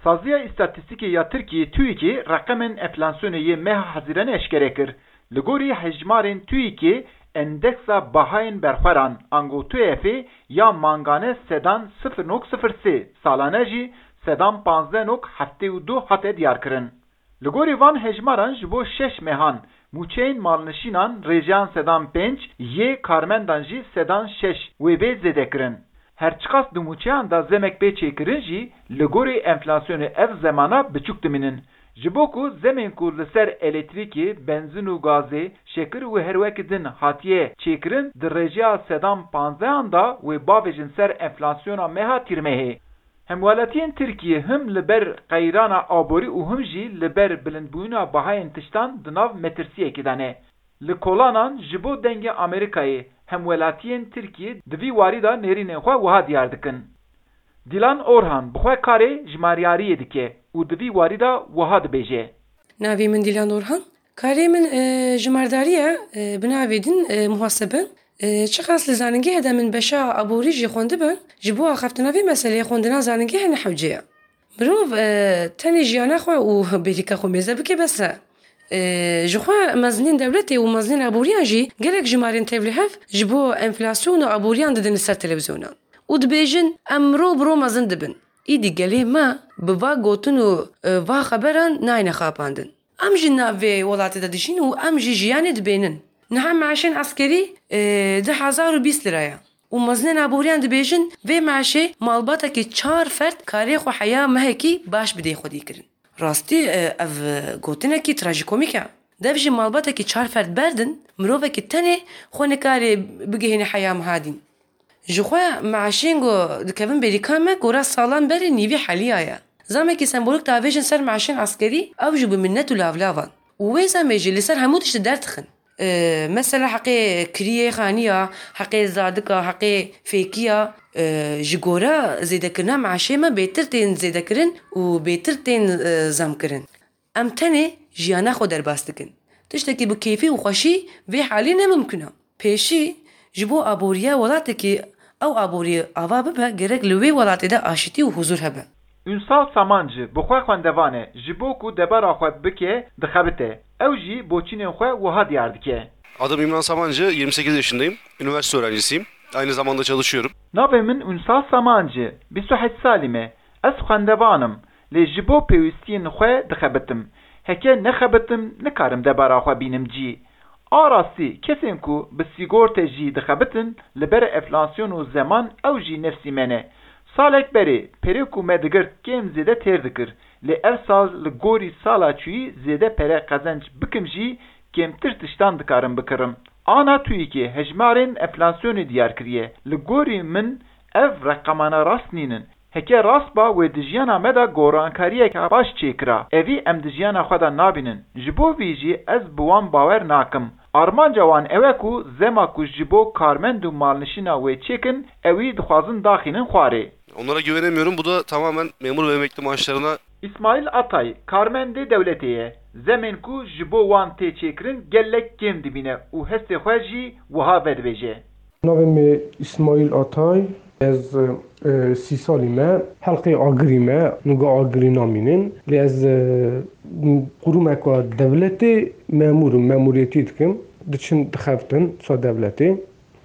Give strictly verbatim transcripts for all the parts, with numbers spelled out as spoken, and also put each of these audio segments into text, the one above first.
Saziya Îstatîstîkê ya Tirkiyê, TÜİKê, reqemên enflasyonê yê meha Hezîranê eşkere kir. Li gorî hejmarên TÜİKê, endeksa bahayên berxweran, ango TÜEF'ê, ya mangane sedan sifir nok sifir sê, salane jî sedan panzdeh nok heftê û du hate diyarkirin. Li gorî van hejmaran ji bo şeş mehan mûçeyên malnişînan rêjeyan sedan pênc, yê karmendan jî sedan şeş wê bê zêdekirin. Her çiqas di mûçeyan de zemek bê çêkirin jî, li gorî enflasyonê ev zemana biçûk dimînin. Ji bo ku zemên ku li ser elektrîkê, benzin û gazê, şekir û herwekî din hatiye çêkirin, di rêjeya sedan panzdehan de wê bavêjin ser enflasyona meha Tîrmehê. Hemwelatiyên Tirkiyê him li ber qeyrana aborî û him jî li ber bilindbûyîna bahayên tiştan di nav metirsiyekê de ne. Li kolanan ji bo Dengê Amerîkayê, hemwelatiyên Tirkiyê di vî warî de nêrînên xwe wiha diyar dikin. Dilan Orhan bi xwe karê jimaryariyê dike û di vî warî de wiha dibêje. Navê min Dilan Orhan. Karê min, e, jimardarî ye, e, bi navê din, e, muhasebe. E, çiqas li zanîngehê de min beşa aborî jî xwendibe, ji bo axaftina vê meseleyê xwendina zanîngehê ne hewce ye. Mirov, e, tenê jiyana xwe û bêrîka xwe mêze bike bes e. E, ji xwe mezinên dewletê û mezinên aboriyan jî gelek jimarên tevlihev ji bo enflasyon û aboriyan didin li ser televîzyonan û dibêjin, em ro bi ro mezin dibin. Îdî gelê me bi va gotin û, e, va xeberan nayne xapandin. Em jî nav vê welatê de dijîn û em jî jiyanê dibênin. Niha meaşên eskerî, e, du hezar û bîst lira ye. Û mezinên aboriyan dibêjin, vê meaşê malbatekî çar ferd karê xwe heya mehekî baş bidê xwedî kirin. Rastî, e, ev, e, gotinekî trajîkomîk e. Dev ji malbatekî çar ferd berdin, mirovekî tenê xwe nikarê bigihîne heya meha dîn. Ji xwe meaşên ku dikevin bêrîka me gora salan berê nîvî heliya ye. Zamekî sembolîk davêjin ser meaşên eskerî, ew jî bi minnet û lavlavan. Û wê zamê jî li ser hemû tiştî derdixin. Ee, mesela heqê kiriyê xaniya, heqê zadika, heqê fêkiya, ee, ji gora zêdekirina meaşê me bêtir tên zêdekirin û bêtir tên, ee, zamkirin. Em tenê jiyana xwe derbas dikin. Tiştekî bi kêfî û xweşî vê halî ne mimkun e. Pêşî, ji bo aboriya welatekî ew aborî ava bibe, gerek li wê welatê de aşitî û huzûr hebe. Ünsal Samancı bi xwe xwendevan e, ji bo ku debara xwe bike, dixebite. Ew jî boçînên xwe wiha diyar dike. Adım İmran Samancı, yirmi sekiz yaşındayım. Üniversite öğrencisiyim. Aynı zamanda çalışıyorum. Navê min Ünsal Samancı, bîst û heşt salî me. Ez xwendevan im, lê ji bo pêwîstiyên xwe dixebitim. Heke nexebitim, nikarim debara xwe bînim cî. A rastî, kesên ku bi sîgorte jî dixebitin, li ber enflasyon û zeman ew jî nefsî me ne. Salek berê, perê ku me digirt kêm zêde têr dikir. Lê ev sal li gorî sala çûyî zêde pere qezenc bikim jî, kêmtir tiştan dikarim bikirim. Ana TÜİKê hejmarên enflasyonê diyar kiriye. Li gorî min ev reqemana rast nînin. Heke rast ba, wê di jiyana me de gorankariyeke baş çêkira. Evî em di jiyana xwe de nabînin. Ji bo vî jî ez bi wan bawer nakim. Armanca wan ew e ku zema ku ji bo karmend û malnişîna wê çêkin, ewî dixwazin daxînin xwarê. Onlara güvenemiyorum. Bu da tamamen memur ve emekli maaşlarına. Îsmaîl Atay, karmendê dewletê ye. Zemên ku ji bo wan tê çêkirin gelek kêm dibîne û hestê xwe jî wiha vedibêje. Navê min Îsmaîl Atay, ez, e, sî salî me, helqê agirî me, nuga agirî namînin. Lê ez, e, qurumeka dewletê memûr im, memûriyetî dikim. Diçin dixebtin sa dewletê.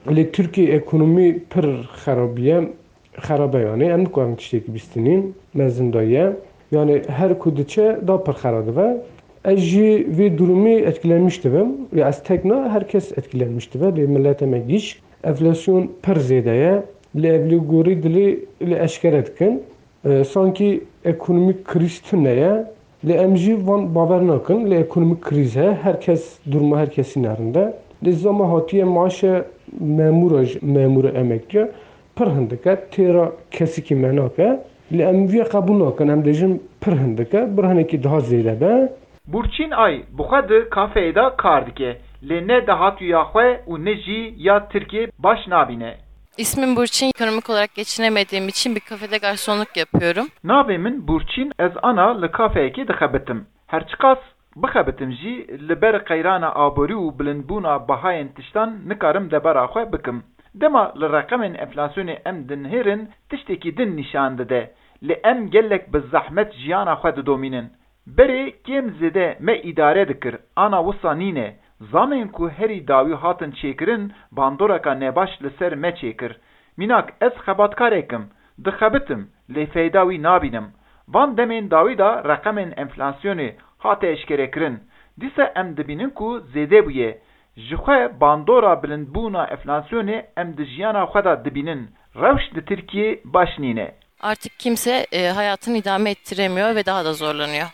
Lê Tirkiye ekonomî pir xerabiye, xerabe yanî. Em nikarin tiştekî bîstînin, mezin de ye. Yanî her ku diçe da pir xera dibe. Ez jî vê durumî etkilenmiş dibim. Ya ez tek na, her kes etkilenmiş dibe. Lê milete me gîş. Enflasyon pir zêde ye. Lê ev lê gorî dilê lê eşkere dikin. E, sankî ekonomîk krîz tune ye. Lê em jî van bawer nakin. Lê ekonomîk krîz he. Her kes, duruma her kesî ne rind e. Lê zama hatiye maaşe memûra jî, memûra emekliya pir hindik e. Têra kesikî me nake. Lê em vî qebûl nakin. Em dêjin pir hindik e. Bir hinekî daha zêde be. Burçin Ay bi xwe di kafeyê de kar dike. Lê ne dahatûya xwe û ne jî ya Tirkiyê baş nabîne. İsmim Burçin, ekonomik olarak geçinemediğim için bir kafede garsonluk yapıyorum. Navê min Burçin, ez ana li kafeyekê dixebitim. Her çiqas bixebitim jî, li ber qeyrana aborî û bilindbûna bahayên tiştan nikarim debara xwe bikim. Dema li reqemên enflasyonê em dinihêrin, tiştekî din nîşan dide. Lê em gelek bi zehmet jiyana xwe didomînin. Berê kêm zêde me îdare dikir, ana wisa nîne. Zamên ku herî dawî hatin çêkirin, bandoreka nebaş li ser me çêkir. Mînak, ez xebatkarek im, dixebitim, lê feyda wî nabînim. Van demên dawî de reqemên enflasyonê hate eşkerekirin. Dîsa em dibînin ku zêde bûye. Ji xwe bandora bilindbûna enflasyonê em di jiyana xwe de dibînin. Rewş di Tirkiyê baş nîne. Artık kimse e, hayatını idame ettiremiyor ve daha da zorlanıyor.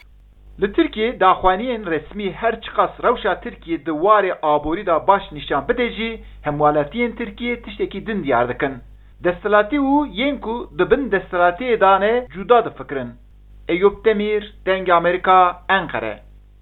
Li Tirkiyê daxuyaniyên resmî her çiqas rewşa Tirkiyê di warê aborî de baş nîşan bide jî, hemwelatiyên Tirkiyê tiştekî din diyar dikin. Desthilatî û yên ku di bin desthilatiyê de ne cuda difikirin. Eyûp Demîr, Dengê Amerîka, Enqere.